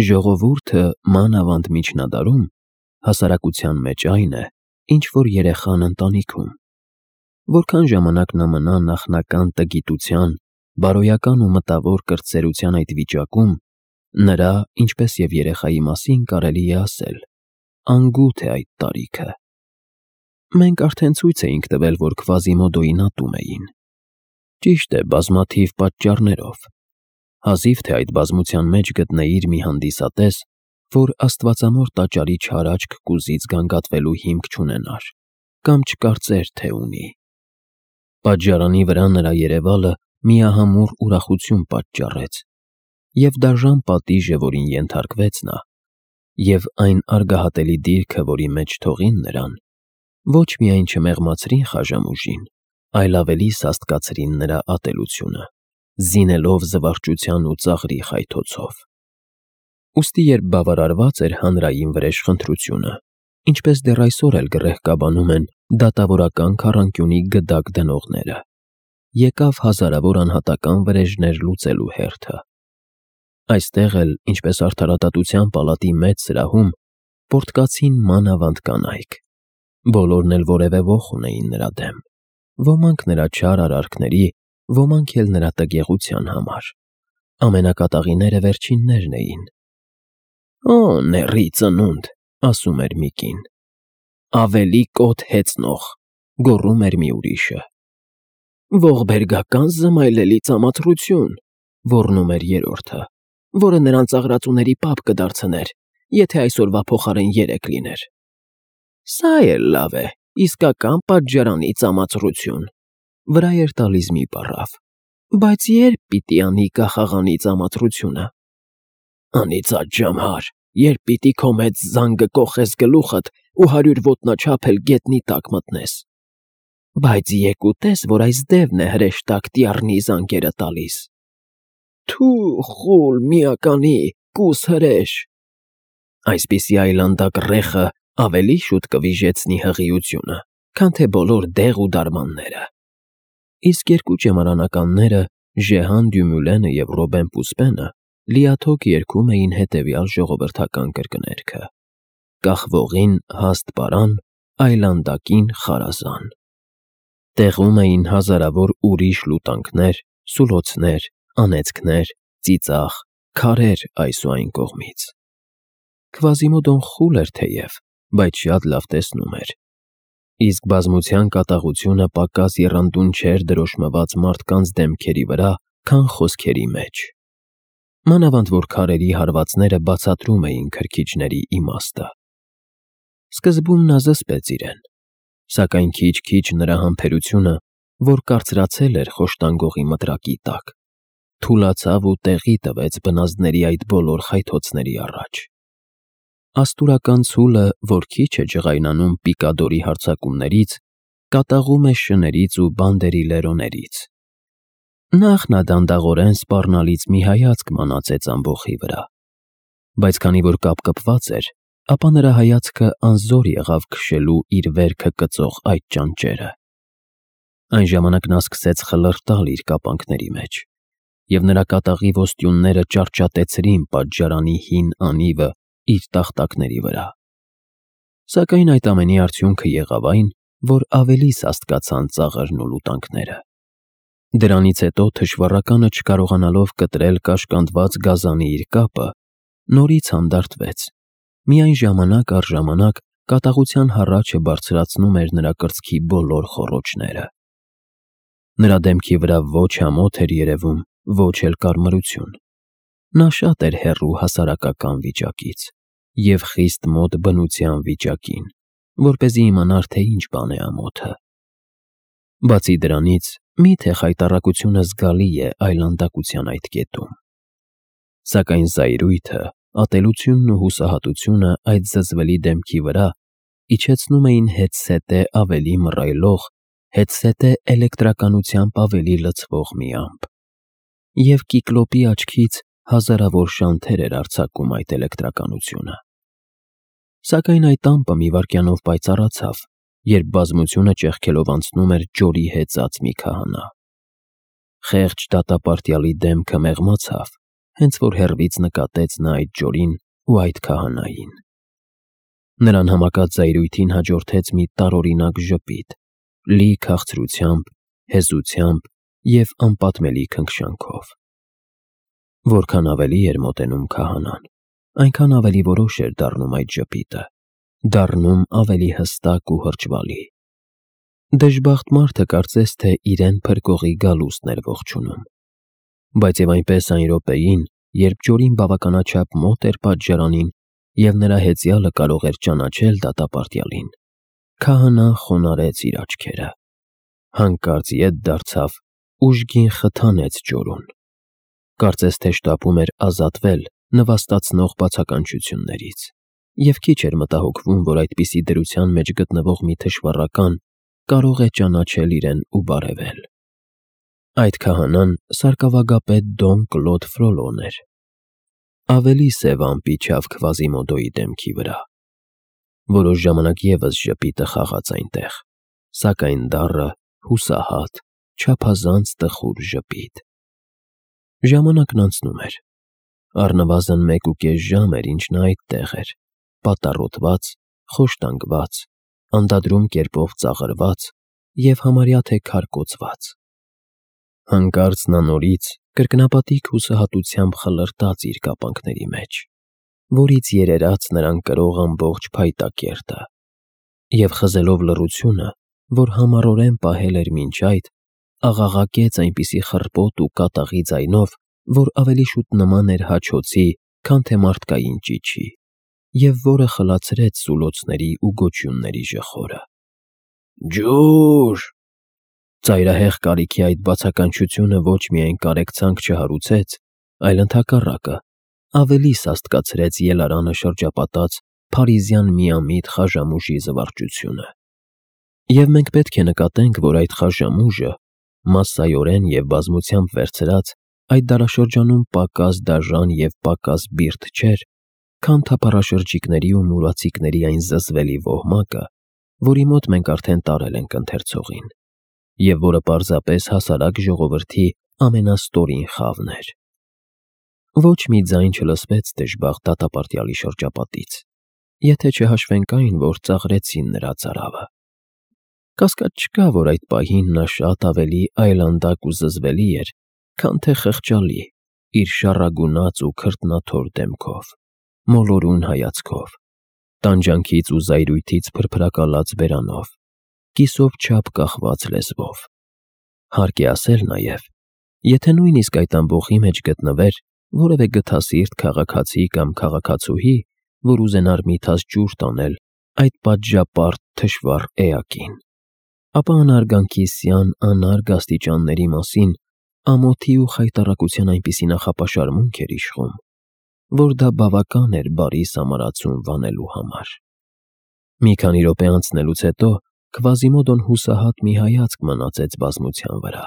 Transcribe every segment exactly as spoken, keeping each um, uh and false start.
Ժողովուրդը մանավանդ միջնադարում հասարակության մեջ այն է, ինչ որ երեխան ընտանիքում։ Որքան ժամանակ նա մնա նախնական տգիտության, բարոյական ու մտավոր կրտսերության այդ վիճակում, նրա, ինչպես և երեխայի մասին կարելի է ասել, անգութ է այդ տարիքը։ Մենք արդեն ցույց էինք տվել, որ Քվազիմոդոին ատում էին։ Ճիշտ է, բազմաթիվ պատճառներով։ Հազիվ թե այդ բազմության մեջ գտնեիր մի հանդիսատես, որ աստվածամոր տաճարի չար աչք կուզից գանգատվելու հիմք չունենար, կամ չկարծեր, թե ունի։ Պատժարանի վրա նրա երևալը միահամուռ ուրախություն պատճառեց, և դաժան պատիժը, որին ենթարկվեց նա, և այն արգահատելի դիրքը, որի մեջ թողին նրան, ոչ միայն չմեղմացրին Խաժամուժին, այլ ավելի սաստկացրին նրա ատելությունը, զինելով զվարճության ու ծաղրի խայթոցով։ Ուստի երբ բավարարված էր հանրային վրեժխնդրությունը, ինչպես դեռ այսօր էլ գռեհկաբանում են դատավորական քառանկյունի գդակ դնողները, եկավ հազարավոր անհատական վրեժներ լուծելու հերթը։ Այստեղ էլ, ինչպես Արդարադատության պալատի մեծ սրահում, պոռթկացին մանավանդ կանայք։ Բոլորն էլ որևէ ոխ ունեին նրա դեմ, ոմանք նրա չար արարքների, ոմանք էլ նրա տգեղության համար։ Ամենակատաղիները վերջիններն էին։ «Օ, նեռի ծնունդ», ասում էր մի կին։ «Ավելի կոթ հեծնող», գոռում էր մի ուրիշը։ «Ողբերգական զմայլելի ծամացրություն», ոռնում էր երրորդը, որը նրան ծաղրածուների պապ կդարձներ, եթե այսօրվա փոխարեն երեկ լիներ։ «Սա էլ լավ է, իսկական պատժարանի ծամացրություն», վրա էր տալիս մի պառավ։ «Բայց ե՞րբ պիտի անի կախաղանի ծամացրությունը»։ «Անիծած ջամհար, երբ պիտի քո մեծ զանգը կոխես գլուխդ ու հարյուր ոտնաչափ էլ գետնի տակ մտնես։ Բայց եկ ու տես, որ այս դևն է հրեշտակ տյառնի զանգերը տալիս։ Թու, խուլ, միականի, կուս հրեշ»։ Այսպիսի այլանդակ ռեխը ավելի շուտ կվիժեցնի հղիությունը, քան թե բոլոր դեղ ու դարմանները։ Իսկ երկու ճեմարանականները, Ժեհան Դյումուլենը և Ռոբեն Պուսպենը, լիաթոք երգում էին հետևյալ ժողովրդական կրկներգը. «Կախվողին հաստ պարան, այլանդակին խարազան»։ Տեղում էին հազարավոր ուրիշ լուտանքներ, սուլոցներ, անեծքներ, ծիծաղ, քարեր այս ու այն կողմից։ Քվազիմոդոն խուլ էր թեև, բայց շատ լավ տեսնում էր։ Իսկ բազմության կատաղությունը պակաս եռանդուն չէր դրոշմված մարդկանց դեմքերի վրա, քան խոսքերի մեջ։ Մանավանդ որ քարերի հարվածները բացատրում էին քրքիջների իմաստը։ Սկզբում նա զսպեց իրեն, սակայն քիչ-քիչ նրա համբերությունը, որ կարծրացել էր խոշտանգողի մտրակի տակ, թուլացավ ու տեղի տվեց բնազդների այդ բոլոր խայթոցների առաջ։ Աստուրական ցուլը, որ քիչ է ջղայնանում պիկադորի հարձակումներից, կատաղում է շներից ու բանդերի լերոներից։ Նախ նա դանդաղորեն սպառնալից մի հայացք մանածեց ամբոխի վրա, բայց քանի որ կապկպված էր, ապա նրա հայացքը անզոր եղավ քշելու իր վերքը կծող այդ ճանճերը։ Այն ժամանակ նա սկսեց խլրտալ իր կապանքների մեջ, և նրա կատաղի ոստյունները ճարճատեցրին պատժարանի հին անիվը իր տախտակների վրա։ Սակայն այդ ամենի արդյունքը եղավ այն, որ ավելի սաստկացան ծաղրն ու լուտանքները։ Դրանից հետո թշվառականը չկարողանալով կտրել կաշկանդված գազանի իր կապը, նորից հանդարտվեց, միայն ժամանակ առ ժամանակ կատաղության հառաչը բարձրացնում էր նրա կրծքի բոլոր խոռոչները։ Նրա դեմքի վրա ոչ ամոթ էր երևում, ոչ էլ կարմրություն։ Նա շատ էր հեռու հասարակական վիճակից և խիստ մոտ բնության վիճակին, որպեսզի իմանար, թե ինչ բան է ամոթը։ Բացի դրանից, մի՞թե խայտառակությունը զգալի է այլանդակության այդ կետում։ Սակայն զայրույթը, ատելությունն ու հուսահատությունը այդ զզվելի դեմքի վրա իջեցնում էին հետզհետե ավելի մռայլող, հետզհետե էլեկտրականությամբ ավելի լցվող մի ամպ։ Եվ Կիկլոպի աչքից հազարավոր շանթեր էր արձակում այդ էլեկտրականությունը։ Սակայն այդ ամպը մի վայրկյանով պայծառացավ, երբ բազմությունը ճեղքելով անցնում էր ջորի հեծած մի քահանա։ Խեղճ դատապարտյալի դեմքը մեղմացավ, հենց որ հեռվից նկատեց նա այդ Ջորին ու այդ քահանային։ Նրան համակած զայրույթին հաջորդեց մի տարօրինակ ժպիտ, լի քաղցրությամբ, հեզությամբ և անպատմելի քնքշանքով։ Որքան ավելի էր մոտենում քահանան, այնքան ավելի որոշ էր դառնում այդ ժպիտը, դառնում ավելի հստակ ու հրճվալի։ Դժբախտ մարդը կարծես թե իրեն փրկողի գալուստն էր ողջունում։ Բայց և այնպես այն րոպեին, երբ Ջորին բավականաչափ մոտ էր պատժարանին և նրա հեծյալը կարող էր ճանաչել դատապարտյալին, քահանան խոնարհեց իր աչքերը, հանկարծ ետ դարձավ, ուժգին խթանեց Ջորուն։ Կարծես թե շտապում էր ազատվել նվաստացնող բացականչություններից և քիչ էր մտահոգվում, որ այդպիսի դրության մեջ գտնվող մի թշվառական կարող է ճանաչել իրեն ու բարևել։ Այդ քահանան սարկավագապետ Դոն Կլոդ Ֆրոլոն էր։ Ավելի սև ամպ իջավ Քվազիմոդոյի դեմքի վրա։ Որոշ ժամանակ ևս ժպիտը խաղաց այնտեղ, սակայն դառը, հուսահատ, չափազանց տխուր ժպիտ։ Ժամանակն անցնում էր։ Առնվազն մեկ ու կես ժամ էր, ինչ նա այդտեղ էր, պատառոտված, խոշտանգված, անդադրում կերպով ծաղրված և համարյա թե քարկոծված։ Հանկարծ նա նորից կրկնապատիկ հուսահատությամբ խլրտաց իր կապանքների մեջ, որից երերաց նրան կրող ամբողջ փայտակերտը, և խզելով լռությունը, որ համառորեն պահել էր մինչ այդ, աղաղակեց այնպիսի խռպոտ ու կատաղի ձայնով, որ ավելի շուտ նման էր հաչոցի, քան թե մարդկային ճիչի, և որը խլացրեց սուլոցների ու գոչյունների ժխորը։ Ջո՛ւր… Ծայրահեղ կարիքի այդ բացականչությունը ոչ միայն կարեկցանք չհարուցեց, այլ ընդհակառակը, ավելի սաստկացրեց ելարանը շրջապատած փարիզյան միամիտ խաժամուժի զվարճությունը։ Եվ մենք պետք է նկատենք, որ այդ խաժամուժը, մասսայորեն և բազմությամբ վերցրած, այդ դարաշրջանում պակաս դաժան և պակաս բիրտ չէր, քան թափառաշրջիկների ու մուրացիկների այն զզվելի ոհմակը, որի մոտ մենք արդեն տարել ենք ընթերցողին, և որը պարզապես հասարակ ժողովրդի ամենաստորին խավն էր։ Ոչ մի ձայն չլսվեց դժբախտ դատապարտյալի շրջապատից, եթե չհաշվենք այն, որ ծաղրեցին նրա ծարավը։ Կասկած չկա, որ այդ պահին նա շատ ավելի այլանդակ ու զզվելի էր, քան թե խղճալի, իր շառագունած ու քրտնաթոր դեմքով, մոլորուն հայացքով, տանջանքից ու զայրույթից փրփրակալած բերանով, կիսով չափ կախված լեզվով։ Հարկ է ասել նաև, եթե նույնիսկ այդ ամբոխի մեջ գտնվեր որևէ գթասիրտ քաղաքացի կամ քաղաքացուհի, որ ուզենար մի թաս ջուր տանել այդ պատժապարտ թշվառ էակին, ապա անհարգանքի սյան անարգ աստիճանների մասին ամոթի ու խայտառակության այնպիսի նախապաշարմունք էր իշխում, որ դա բավական էր բարի սամարացուն վանելու համար։ Մի քանի րոպե անցնելուց հետո Քվազիմոդոն հուսահատ մի հայացք մնացեց բազմության վրա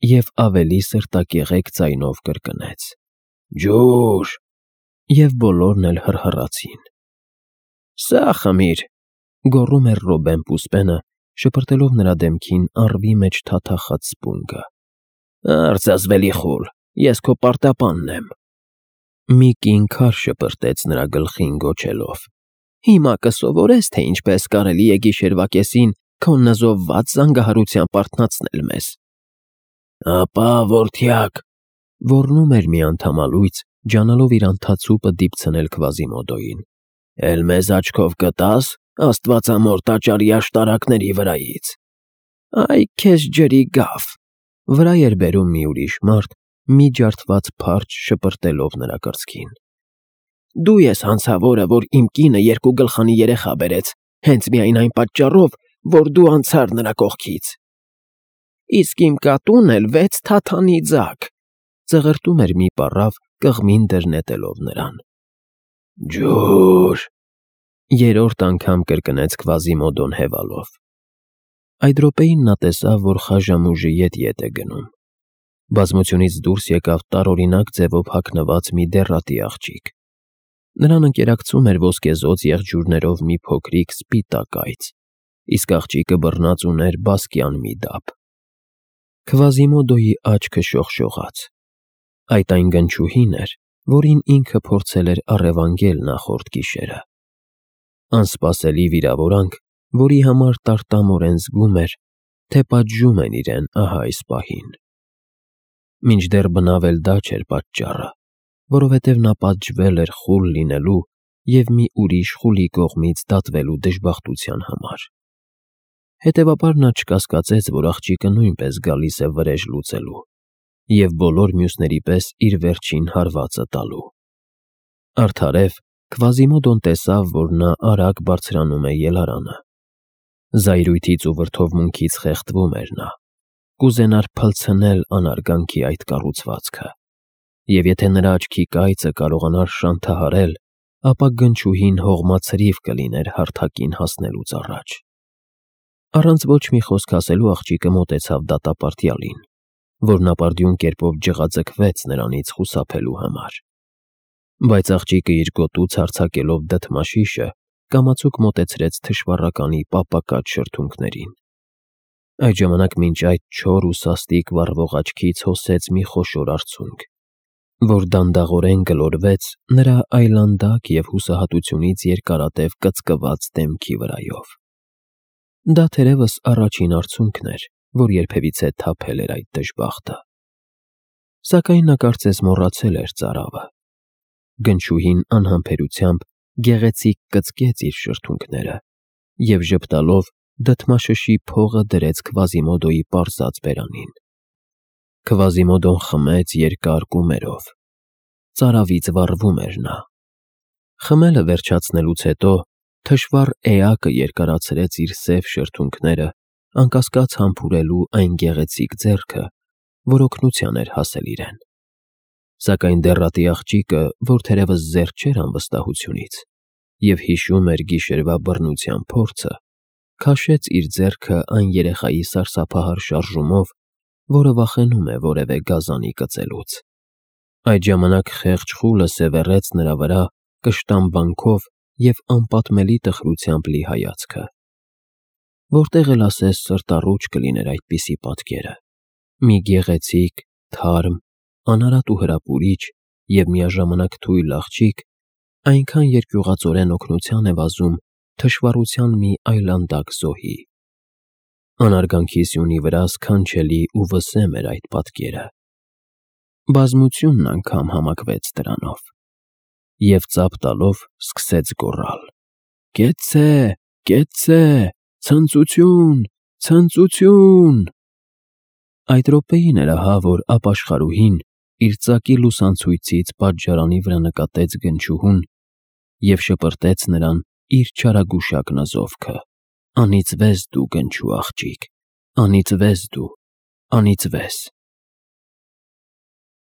և ավելի սրտակեղեկ ձայնով կրկնեց. Ջուր… Եվ բոլորն էլ հռհռացին։ Սա խմիր, գոռում էր Ռոբեն Պուսպենը, շպրտելով նրա դեմքին առվի մեջ թաթախած սպունգը։ Արծազվելի խուլ, ես քո պարտապանն եմ։ Մի կին քար շպրտեց նրա գլխին գոչելով. Հիմա կսովորես, թե ինչպես կարելի է գիշերվա կեսին քո նզովված զանգահարությամբ արթնացնել մեզ։ Ապա, որդյակ, ոռնում էր մի անդամալույց, ջանալով իր անթացուպը դիպցնել Քվազիմոդոյին, էլ մեզ աչքով կտա՞ս աստվածամոր տաճարի աշտարակների վրայից։ Այ քեզ ջրի գավ… Վրա էր բերում մի ուրիշ մարդ, մի ջարդված փարչ շպրտելով նրա կրծքին։ Դու ես հանցավորը, որ իմ կինը երկու գլխանի երեխա բերեց, հենց միայն այն պատճառով, որ դու անցար նրա կողքից։ Իսկ իմ կատուն էլ վեց թաթանի ձագ… Ծղրտում էր մի պառավ, կղմին դր նետելով նրան։ Ջուր… Երրորդ անգամ կրկնեց Քվազիմոդոն հևալով։ Այդ րոպեին նա տեսավ, որ խաժամուժը ետ-ետ է գնում։ Բազմությունից դուրս եկավ տարօրինակ ձևով հագնված մի դեռատի աղջիկ։ Նրան ընկերակցում էր ոսկեզօծ եղջյուրներով մի փոքրիկ սպիտակ այծ, իսկ աղջիկը բռնած ուներ բասկյան մի դափ։ Քվազիմոդոյի աչքը շողշողաց։ Այդ այն գնչուհին էր, որին ինքը փորձել էր առևանգել նախորդ գիշերը։ Անսպասելի վիրավորանք, որի համար տարտամորեն զգում էր, թե պատժում են իրեն ահա այս պահին։ Մինչդեռ բնավ էլ դա չէր պատճառը, որովհետև նա պատժվել էր խուլ լինելու և մի ուրիշ խուլի կողմից դատվելու դժբախտության համար։ Հետևաբար նա չկասկածեց, որ աղջիկը նույնպես գալիս է վրեժ լուծելու և բոլոր մյուսների պես իր վերջին հարվածը տալու։ Արդարև Քվազիմոդոն տեսավ, որ նա արագ բարձրանում է ելարանը։ Զայրույթից ու վրդովմունքից խեղդվում էր նա, կուզենար փլցնել անարգանքի այդ կառուցվածքը, և եթե նրա աչքի կայծը կարողանար շանթահարել, ապա գնչուհին հողմացրիվ կլիներ հարթակին հասնելուց առաջ։ Առանց ոչ մի խոսք ասելու աղջիկը մոտեցավ դատապարտյալին, որն ապարդյուն կերպով ջղաձգվեց նրանից խուսափելու համար։ Բայց աղջիկը իր գոտուց հարձակելով դդմաշիշը, կամացուկ մոտեցրեց թշվառականի պապակած շրթունքներին։ Այդ ժամանակ մինչ այդ չոր ու սաստիկ վառվող աչքից հոսեց մի խոշոր արցունք, որ դանդաղորեն գլորվեց նրա այլանդակ և հուսահատությունից երկարատև կծկված դեմքի վրայով։ Դա թերևս առաջին արցունքն էր, որ երբևիցե թափել էր այդ դժբախտը։ Սակայն նա կարծես մոռացել էր ծարավը։ Գնչուհին անհամբերությամբ գեղեցիկ կծկեց իր շրթունքները և ժպտալով դդմաշշի փողը դրեց Քվազիմոդոյի պարզած բերանին։ Քվազիմոդոն խմեց երկար կումերով։ Ծարավից վառվում էր նա։ Խմելը վերջացնելուց հետո թշվառ էակը երկարացրեց իր սև շրթունքները, անկասկած համբուրելու այն գեղեցիկ ձեռքը, որ օգնության էր հասել իրեն։ Սակայն դեռատի աղջիկը, որ թերևս զերծ չէր անվստահությունից և հիշում էր գիշերվա բռնության փորձը, քաշեց իր ձեռքը այն երեխայի սարսափահար շարժումով, որը վախենում է որևէ գազանի կծելուց։ Այդ ժամանակ խեղճ խուլը սևեռեց նրա վրա կշտամբանքով և անպատմելի տխրությամբ լի հայացքը։ Որտեղ էլ ասես սրտառուչ կլիներ այդպիսի պատկերը, մի գեղեցիկ, թարմ, անարատ ու հրապուրիչ և միաժամանակ թույլ աղջիկ այնքան երկյուղածորեն օգնության է վազում թշվառության մի այլանդակ զոհի։ Անարգանքի սյունի վրա սքանչելի ու վսեմ էր այդ պատկերը։ Բազմությունն անգամ համակվեց դրանով և ծափ տալով սկսեց գոռալ. «Կեցցե, կեցցե, ցնծություն, ցնծություն»։ Այդ րոպեին էր ահա, որ ապաշխարուհին իր ծակի լուսանցույցից պատժարանի վրա նկատեց գնչուհուն և շպրտեց նրան իր չարագուշակ նզովքը. «Անիծվես դու, գնչու աղջիկ, անիծվես դու, անիծվես»։